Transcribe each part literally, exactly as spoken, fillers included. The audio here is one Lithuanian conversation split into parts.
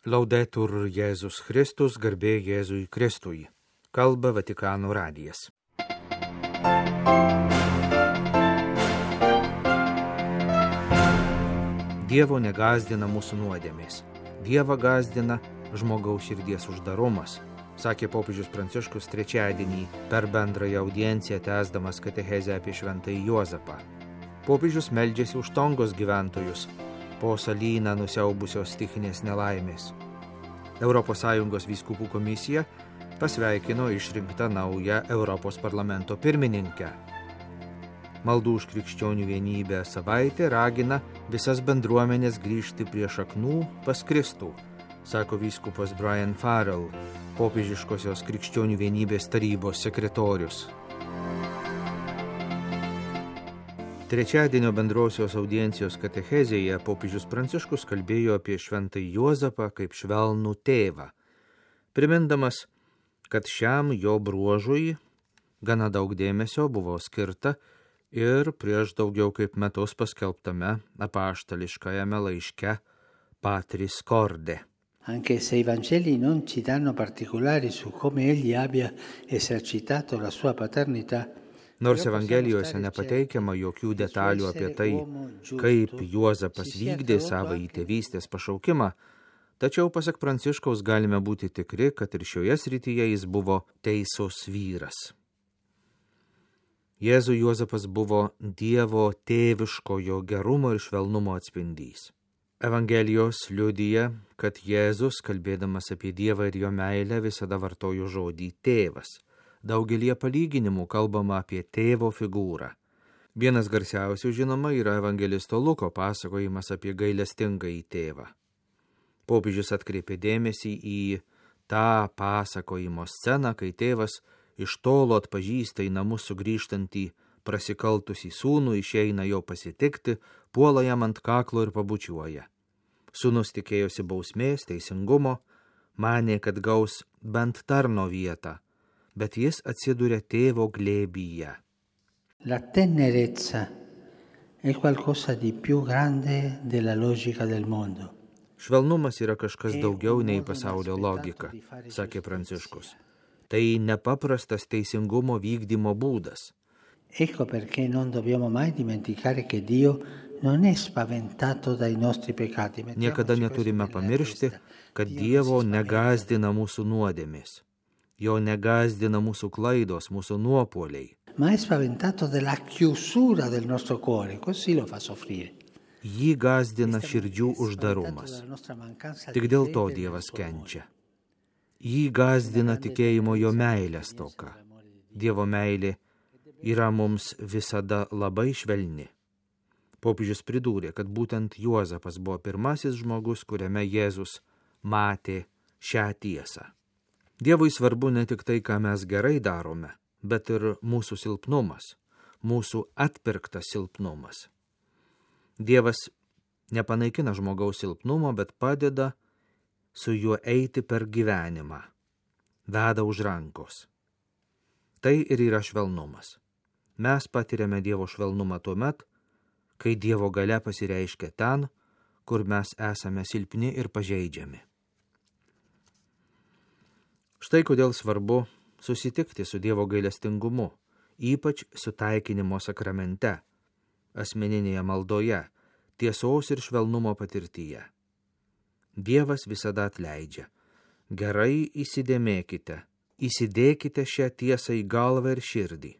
Laudetur Jėzus Kristus, garbė Jėzui Kristui. Kalba Vatikano radijas. Dievo negazdina mūsų nuodėmės. Dievą gazdina žmogaus širdies uždarumas, sakė popiežius Pranciškus trečiadienį per bendrąją audienciją tęsdamas katechezę apie šventąjį Juozapą. Popiežius meldžiasi už Tongos gyventojus po salyną nusiaubusios stichinės nelaimės. Europos Sąjungos vyskupų komisija pasveikino išrinktą naują Europos parlamento pirmininkę. Maldų už krikščionių vienybę savaitė ragina visas bendruomenės grįžti prie šaknų pas Kristų, sako vyskupas Brian Farrell, popiežiškosios krikščionių vienybės tarybos sekretorius. Trečiadienio bendrosios audiencijos katechezėje popiežius Pranciškus kalbėjo apie šventąjį Juozapą kaip švelnų tėvą, primindamas, kad šiam jo bruožui gana daug dėmesio buvo skirta ir prieš daugiau kaip metus paskelbtame apaštališkajame laiške Patris Corde. Anche se i Vangeli non ci danno particolari su come egli abbia esercitato la sua paternità, Nors Evangelijose nepateikiama jokių detalių apie tai, kaip Juozapas vykdė savo į tėvystės pašaukimą, tačiau pasak Pranciškaus galime būti tikri, kad ir šioje srityje jis buvo teisus vyras. Jėzui Juozapas buvo Dievo tėviškojo gerumo ir švelnumo atspindys. Evangelijos liudija, kad Jėzus, kalbėdamas apie Dievą ir jo meilę, visada vartojo žodį tėvas. Daugelie palyginimų kalbama apie tėvo figūrą. Vienas garsiausių, žinoma, yra evangelisto Luko pasakojimas apie gailestingąjį tėvą. Popiežius atkreipė dėmesį į tą pasakojimo sceną, kai tėvas iš tolo atpažįsta į namus sugrįžtantį prasikaltusį sūnų, išeina jo pasitikti, puola jam ant kaklo ir pabučiuoja. Sūnus tikėjosi bausmės, teisingumo, manė, kad gaus bent tarno vietą, bet jis atsiduria tėvo glėbyje. La tenerezza è qualcosa di più grande della logica del mondo. Švelnumas yra kažkas daugiau nei pasaulio logika, sakė Pranciškus. Tai nepaprastas teisingumo vykdymo būdas. Ecco perché non dobbiamo mai dimenticare che Dio non è spaventato dai nostri peccati. Niekada neturime pamiršti, kad Dievo negazdina mūsų nuodėmės. Jo negazdina mūsų klaidos, mūsų nuopuoliai. Ma è spaventato della chiusura del nostro cuore, così lo fa soffrire. Jį gazdina širdžių uždarumas. Tik dėl to Dievas kenčia. Jį gazdina tikėjimo jo meilės stoka. Dievo meilė yra mums visada labai švelni. Popiežius pridūrė, kad būtent Juozapas buvo pirmasis žmogus, kuriame Jėzus matė šią tiesą. Dievui svarbu ne tik tai, ką mes gerai darome, bet ir mūsų silpnumas, mūsų atpirktas silpnumas. Dievas nepanaikina žmogaus silpnumo, bet padeda su juo eiti per gyvenimą, veda už rankos. Tai ir yra švelnumas. Mes patiriame Dievo švelnumą tuomet, kai Dievo galia pasireiškia ten, kur mes esame silpni ir pažeidžiami. Štai kodėl svarbu susitikti su Dievo gailestingumu, ypač sutaikinimo sakramente, asmeninėje maldoje, tiesos ir švelnumo patirtyje. Dievas visada atleidžia. Gerai įsidėmėkite, įsidėkite šią tiesą į galvą ir širdį.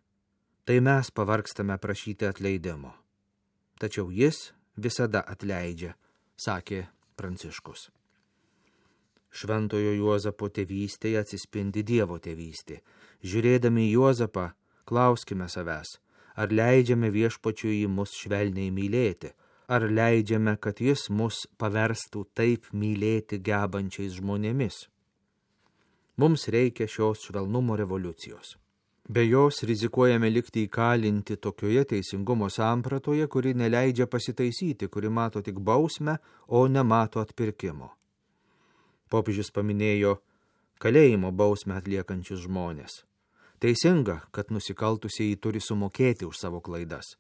Tai mes pavargstame prašyti atleidimo. Tačiau jis visada atleidžia, sakė Pranciškus. Šventojo Juozapo tėvystėje atsispindi Dievo tėvystė. Žiūrėdami į Juozapą, klauskime savęs, ar leidžiame viešpačiui mus švelniai mylėti, ar leidžiame, kad jis mus paverstų taip mylėti gebančiais žmonėmis. Mums reikia šios švelnumo revoliucijos. Be jos rizikuojame likti įkalinti tokioje teisingumo sampratoje, kuri neleidžia pasitaisyti, kuri mato tik bausmę, o nemato atpirkimo. Popiežius paminėjo kalėjimo bausmę atliekančius žmonės. Teisinga, kad nusikaltusieji turi sumokėti už savo klaidas.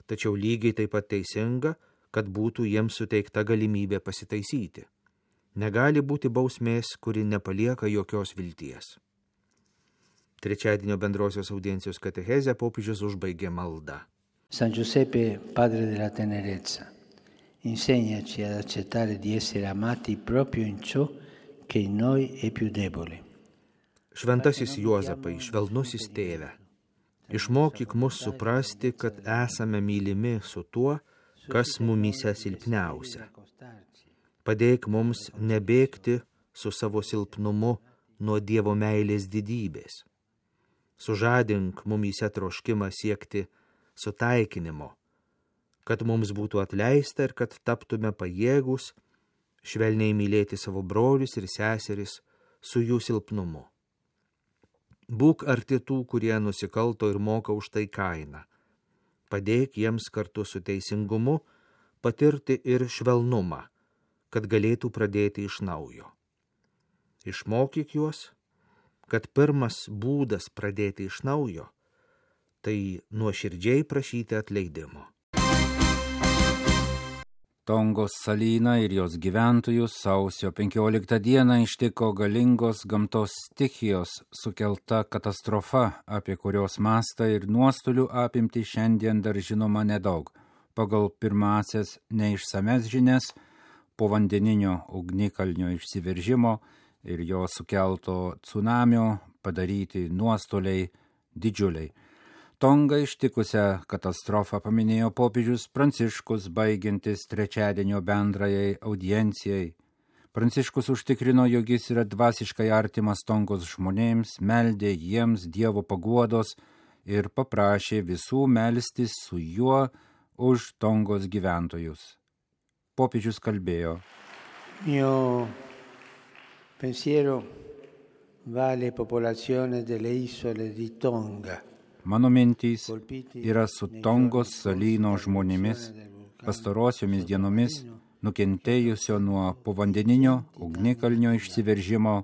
Tačiau lygiai taip pat teisinga, kad būtų jiems suteikta galimybė pasitaisyti. Negali būti bausmės, kuri nepalieka jokios vilties. Trečiadienio bendrosios audiencijos katechezę popiežius užbaigė maldą. San Giuseppe, padre della tenerezza, insegnaci ad accettare di essere amati proprio in ciò che in noi è più debole. Šventasis Juozapai, švelnusis tėve, išmokyk mus suprasti, kad esame mylimi su tuo, kas mumyse silpniausia. Padėk mums nebėgti su savo silpnumu nuo Dievo meilės didybės. Sužadink mumyse troškimą siekti sutaikinimo, kad mums būtų atleista ir kad taptume pajėgus švelniai mylėti savo brolius ir seseris su jų silpnumu. Būk arti tų, kurie nusikalto ir moka už tai kainą. Padėk jiems kartu su teisingumu patirti ir švelnumą, kad galėtų pradėti iš naujo. Išmokyk juos, kad pirmas būdas pradėti iš naujo – tai nuoširdžiai prašyti atleidimo. Tongos salyną ir jos gyventojus sausio penkioliktą dieną ištiko galingos gamtos stichijos sukelta katastrofa, apie kurios mastą ir nuostolių apimtį šiandien dar žinoma nedaug. Pagal pirmasias neišsames žinias, povandeninio ugnikalnio išsiveržimo ir jo sukelto tsunamio padaryti nuostoliai didžiuliai. Tongą ištikusią katastrofą paminėjo popiežius Pranciškus, baigiantis trečiadienio bendrajai audiencijai. Pranciškus užtikrino, jog jis yra dvasiškai artimas Tongos žmonėms, meldė jiems Dievo paguodos ir paprašė visų melstis su juo už Tongos gyventojus. Popiežius kalbėjo: Mio pensiero va alle popolazioni delle isole di Tonga. Mano mintys yra su Tongos salyno žmonėmis, pastarosiomis dienomis nukentėjusio nuo povandeninio ugnikalnio išsiveržimo,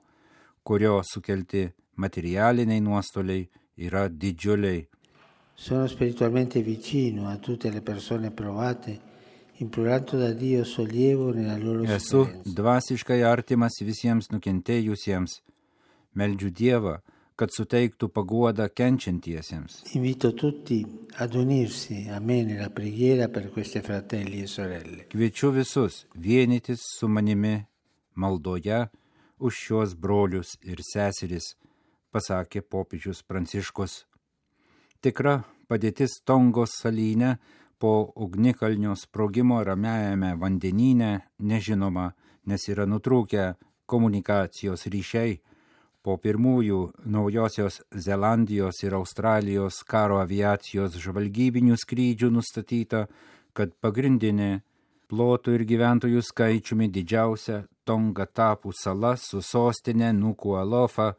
kurio sukelti materialiniai nuostoliai yra didžiuliai. Sono spiritualmente vicino a tutte le persone provate, implorando da Dio sollievo nella loro Esu sofferenza. dvasiškai artimas visiems nukentėjusiems. Meldžiu Dievą, kad suteiktų paguodą kenčiantiesiems. Invito tutti ad unirsi a me nella preghiera per questi fratelli e sorelle. Kviečiu visus vienytis su manimi maldoje už šios brolius ir seseris, pasakė popiežius Pranciškus. Tikra padėtis Tongos salyne po ugnikalnio sprogimo Ramiajame vandenyne nežinoma, nes yra nutrūkę komunikacijos ryšiai. Po pirmųjų Naujosios Zelandijos ir Australijos karo aviacijos žvalgybinių skrydžių nustatyta, kad pagrindinė plotų ir gyventojų skaičiumi didžiausia Tonga Tapų sala su sostinė Nuku'alofa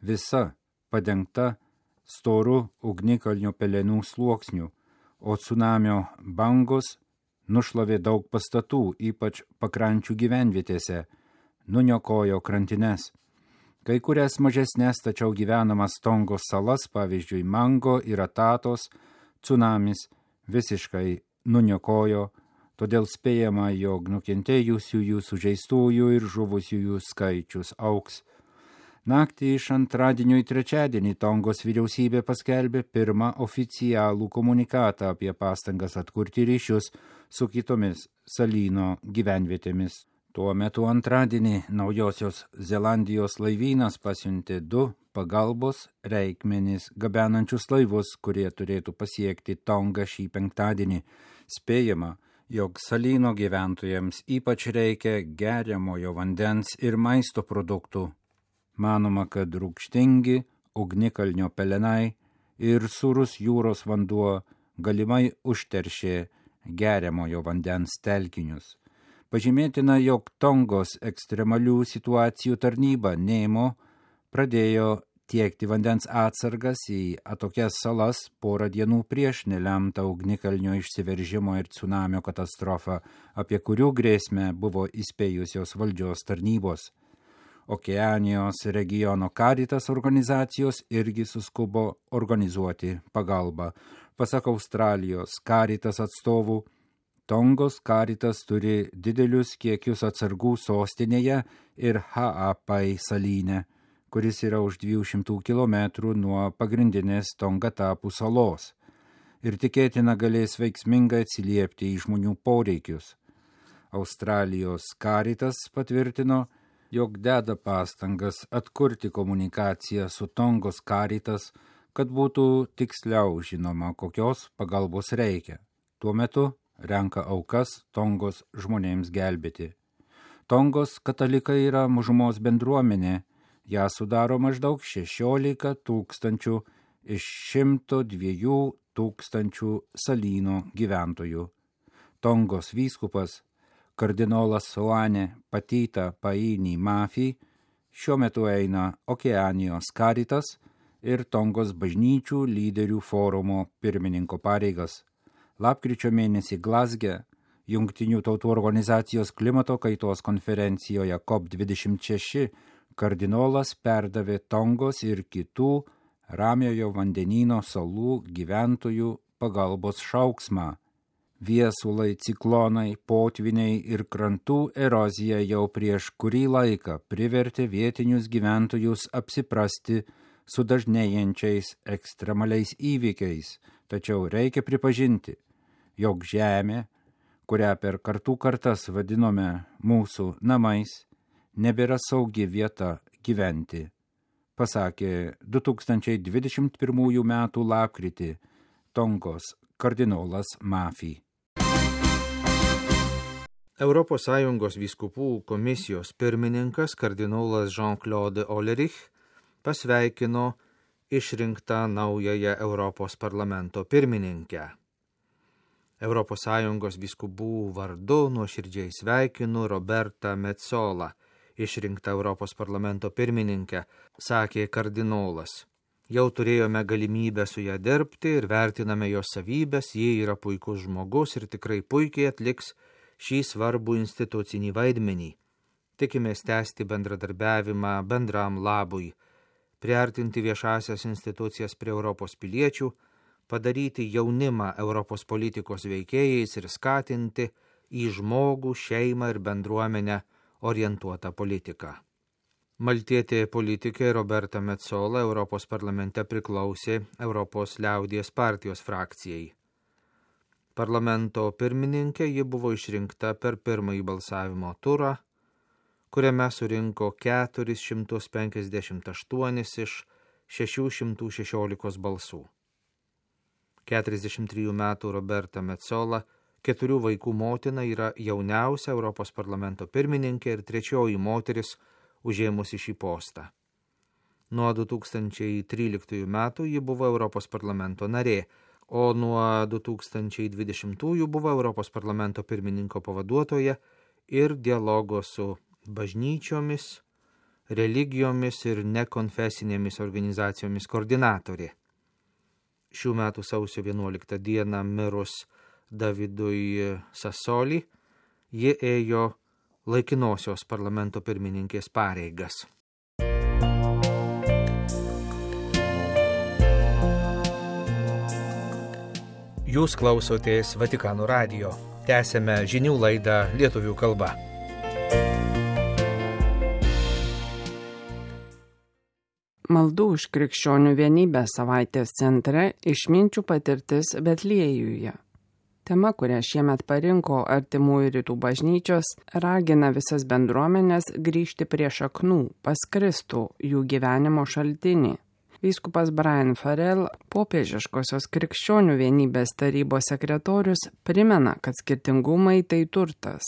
visa padengta storu ugnikalnio pelenų sluoksniu, o tsunamio bangos nušlavė daug pastatų, ypač pakrančių gyvenvietėse, nuniokojo krantines. Kai kurias mažesnės, tačiau gyvenamas Tongos salas, pavyzdžiui Mango ir Atatos, tsunamis visiškai nuniokojo, todėl spėjama, jog nukentėjusiųjų, sužeistųjų ir žuvusiųjų skaičius augs. Naktį iš antradienio į trečiadienį Tongos vyriausybė paskelbė pirmą oficialų komunikatą apie pastangas atkurti ryšius su kitomis salyno gyvenvietėmis. Tuo metu antradienį Naujosios Zelandijos laivynas pasiuntė du pagalbos reikmenis gabenančius laivus, kurie turėtų pasiekti Tongą šį penktadienį. Spėjama, jog salyno gyventojams ypač reikia geriamojo vandens ir maisto produktų. Manoma, kad rūgštingi ugnikalnio pelenai ir sūrus jūros vanduo galimai užteršė geriamojo vandens telkinius. Pažymėtina, jog Tongos ekstremalių situacijų tarnyba Nemo pradėjo tiekti vandens atsargas į atokias salas porą dienų prieš nelemtą ugnikalnio išsiveržimo ir tsunamio katastrofą, apie kurių grėsmę buvo įspėjusios valdžios tarnybos. Okeanijos regiono Caritas organizacijos irgi suskubo organizuoti pagalbą. Pasak Australijos Caritas atstovų, Tongos Karitas turi didelius kiekius atsargų sostinėje ir Ha'apai salyne, kuris yra už dviejų šimtų kilometrų nuo pagrindinės Tongatapų salos, ir tikėtina galės veiksmingai atsiliepti į žmonių poreikius. Australijos Karitas patvirtino, jog deda pastangas atkurti komunikaciją su Tongos Karitas, kad būtų tiksliau žinoma, kokios pagalbos reikia. Tuo metu renka aukas Tongos žmonėms gelbėti. Tongos katalikai yra mažumos bendruomenė, ją sudaro maždaug šešiolika tūkstančių iš šimto dviejų tūkstančių salyno gyventojų. Tongos vyskupas kardinolas Soane Patita Paini Mafi šiuo metu eina Okeanijos Karitas ir Tongos bažnyčių lyderių forumo pirmininko pareigas. Lapkričio mėnesį Glazge Jungtinių tautų organizacijos klimato kaitos konferencijoje C O P dvidešimt šeši kardinolas perdavė Tongos ir kitų Ramiojo vandenyno salų gyventojų pagalbos šauksmą. Viesulai, ciklonai, potviniai ir krantų erozija jau prieš kurį laiką privertė vietinius gyventojus apsiprasti su dažnėjančiais ekstremaliais įvykiais, tačiau reikia pripažinti, jog žemė, kurią per kartų kartas vadinome mūsų namais, nebėra saugi vieta gyventi, pasakė du tūkstančiai dvidešimt pirmųjų metų lapkritį Tongos kardinolas Mafi. Europos Sąjungos vyskupų komisijos pirmininkas kardinolas Jean-Claude Ollerich pasveikino išrinktą naująją Europos parlamento pirmininkę. Europos Sąjungos vyskupų vardu nuoširdžiai sveikinu Robertą Metsolą, išrinktą Europos parlamento pirmininkę, sakė kardinolas. Jau turėjome galimybę su ją dirbti ir vertiname jos savybės, ji yra puikus žmogus ir tikrai puikiai atliks šį svarbų institucinį vaidmenį. Tikimės tęsti bendradarbiavimą bendram labui, priartinti viešasias institucijas prie Europos piliečių, padaryti jaunimą Europos politikos veikėjais ir skatinti į žmogų, šeimą ir bendruomenę orientuotą politiką. Maltietė politikė Roberta Metsola Europos parlamente priklausė Europos liaudies partijos frakcijai. Parlamento pirmininkė ji buvo išrinkta per pirmąjį balsavimo turą, kuriame surinko keturis šimtus penkiasdešimt aštuonis iš šešių šimtų šešiolikos balsų. keturiasdešimt trijų metų Roberta Metsola, keturių vaikų motina, yra jauniausia Europos parlamento pirmininkė ir trečioji moteris užėmusi šį postą. Nuo du tūkstančiai tryliktųjų metų ji buvo Europos parlamento narė, o nuo du tūkstančiai dvidešimtųjų buvo Europos parlamento pirmininko pavaduotoja ir dialogo su bažnyčiomis, religijomis ir nekonfesinėmis organizacijomis koordinatorė. Šių metų sausio vienuoliktą dieną mirus Davidui Sassoli, ji ėjo laikinosios parlamento pirmininkės pareigas. Jūs klausotės Vatikano radijo. Tęsėme žinių laidą lietuvių kalba. Maldų už krikščionių vienybę savaitės centre išminčių patirtis Betliejuje. Tema, kurią šiemet parinko Artimųjų rytų bažnyčios, ragina visas bendruomenės grįžti prie šaknų, pas Kristų, jų gyvenimo šaltinį. Vyskupas Brian Farrell, popiežiškosios krikščionių vienybės tarybos sekretorius, primena, kad skirtingumai tai turtas.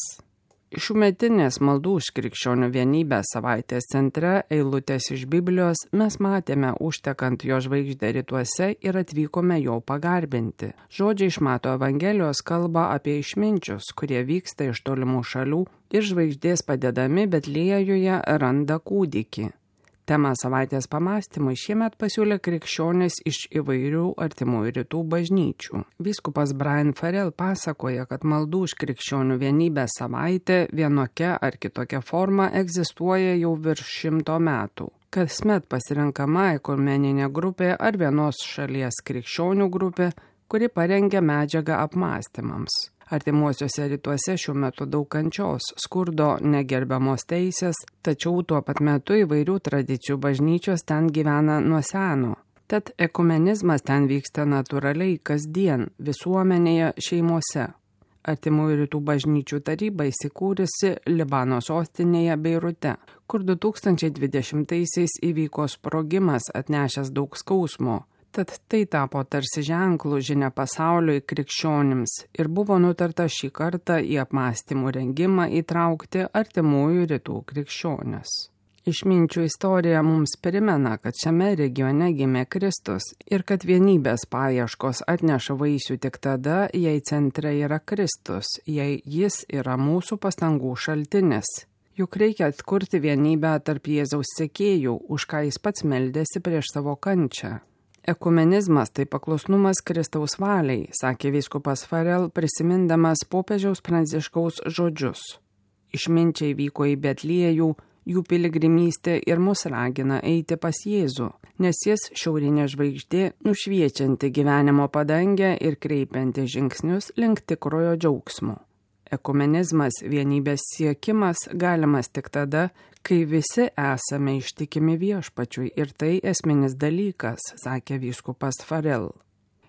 Šiųmetinės maldų už krikščionių vienybę savaitės centre eilutės iš Biblijos mes matėme užtekant jo žvaigždę rytuose ir atvykome jo pagarbinti. Žodžiai iš Mato Evangelijos kalba apie išminčius, kurie vyksta iš tolimų šalių ir žvaigždės padedami Betliejuje randa kūdikį. Temą savaitės pamąstymui šiemet pasiūlė krikščionys iš įvairių Artimųjų rytų bažnyčių. Vyskupas Brian Farrell pasakoja, kad maldų už krikščionių vienybę savaitė vienokia ar kitokia forma egzistuoja jau virš šimto metų. Kasmet pasirenkama ekumeninė grupė ar vienos šalies krikščionių grupė, kuri parengia medžiagą apmąstymams. Artimuosiuose rytuose šiuo metu daug kančios, skurdo, negerbiamos teisės, tačiau tuo pat metu įvairių tradicijų bažnyčios ten gyvena nuo seno. Tad ekumenizmas ten vyksta natūraliai kasdien, visuomenėje, šeimose. Artimųjų rytų bažnyčių taryba įsikūrusi Libano sostinėje Beirute, kur du tūkstančiai dvidešimtaisiais įvyko sprogimas atnešęs daug skausmo. Tad tai tapo tarsi ženklų žinia pasauliui krikščionims ir buvo nutarta šį kartą į apmąstymų rengimą įtraukti artimųjų rytų krikščionis. Išminčių istorija mums primena, kad šiame regione gimė Kristus ir kad vienybės paieškos atneša vaisių tik tada, jei centre yra Kristus, jei jis yra mūsų pastangų šaltinis. Juk reikia atkurti vienybę tarp Jėzaus sekėjų, už ką jis pats meldėsi prieš savo kančią. Ekumenizmas tai paklusnumas Kristaus valiai, sakė vyskupas Farel, prisimindamas popiežiaus Pranciškaus žodžius. Išminčiai vyko į Betliejų, jų piligrimystė ir mus ragina eiti pas Jėzų, nes jis šiaurinė žvaigždė, nušviečianti gyvenimo padangę ir kreipianti žingsnius link tikrojo džiaugsmo. Ekumenizmas, vienybės siekimas galimas tik tada, kai visi esame ištikimi viešpačiui ir tai esminis dalykas, sakė vyskupas Farel.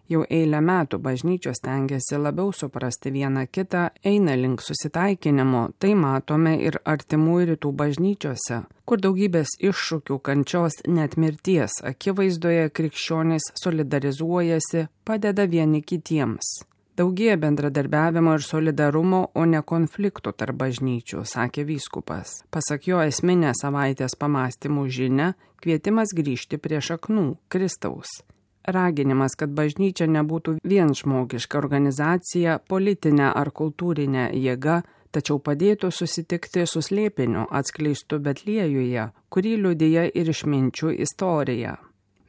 Jau eilę metų bažnyčios stengiasi labiau suprasti vieną kitą, eina link susitaikinimo, tai matome ir artimųjų rytų bažnyčiose, kur daugybės iššūkių, kančios, net mirties akivaizdoje krikščionys solidarizuojasi, padeda vieni kitiems. Daugėja bendradarbiavimo ir solidarumo, o ne konfliktų tarp bažnyčių, sakė vyskupas. Pasak jo, esminė savaitės pamąstymų žinia – kvietimas grįžti prie šaknų, Kristaus. Raginimas, kad bažnyčia nebūtų vien žmogiška organizacija, politinė ar kultūrinė jėga, tačiau padėtų susitikti su slėpiniu atskleistu Betliejuje, kurį liudija ir išminčių istorija.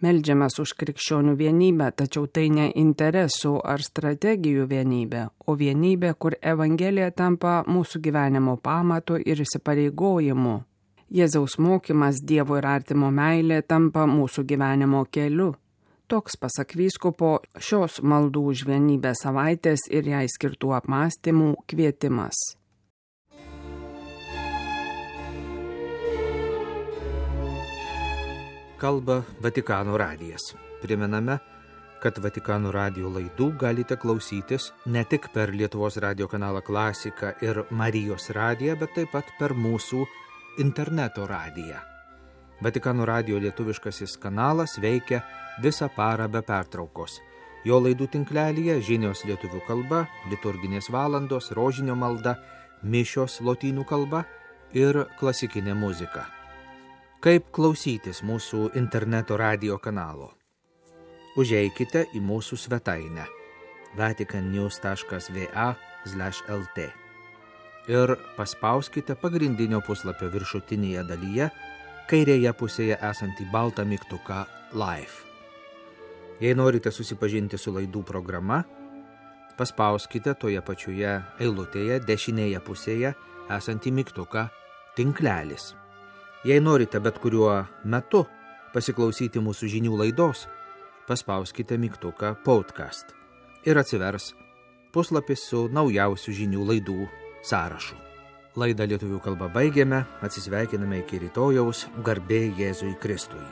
Meldžiamės už krikščionių vienybę, tačiau tai ne interesų ar strategijų vienybė, o vienybė, kur Evangelija tampa mūsų gyvenimo pamatu ir įsipareigojimu. Jėzaus mokymas, Dievo ir artimo meilė tampa mūsų gyvenimo keliu. Toks, pasak vyskupo, šios maldų už vienybę savaitės ir jai skirtų apmąstymų kvietimas. Kalba Vatikano radijas. Primename, kad Vatikano radijo laidų galite klausytis ne tik per Lietuvos radijo kanalą Klasika ir Marijos radiją, bet taip pat per mūsų interneto radiją. Vatikano radijo lietuviškasis kanalas veikia visą parą be pertraukos. Jo laidų tinklelyje žinios lietuvių kalba, liturginės valandos, rožinio malda, mišios lotynų kalba ir klasikinė muzika. Kaip klausytis mūsų interneto radijo kanalo? Užeikite į mūsų svetainę vaticannews taškas va slash lt ir paspauskite pagrindinio puslapio viršutinėje dalyje kairėje pusėje esantį baltą mygtuką Live. Jei norite susipažinti su laidų programa, paspauskite toje pačioje eilutėje dešinėje pusėje esantį mygtuką Tinklelis. Jei norite bet kuriuo metu pasiklausyti mūsų žinių laidos, paspauskite mygtuką Podcast ir atsivers puslapis su naujausių žinių laidų sąrašu. Laidą lietuvių kalba baigėme, atsisveikiname iki rytojaus, garbė Jėzui Kristui.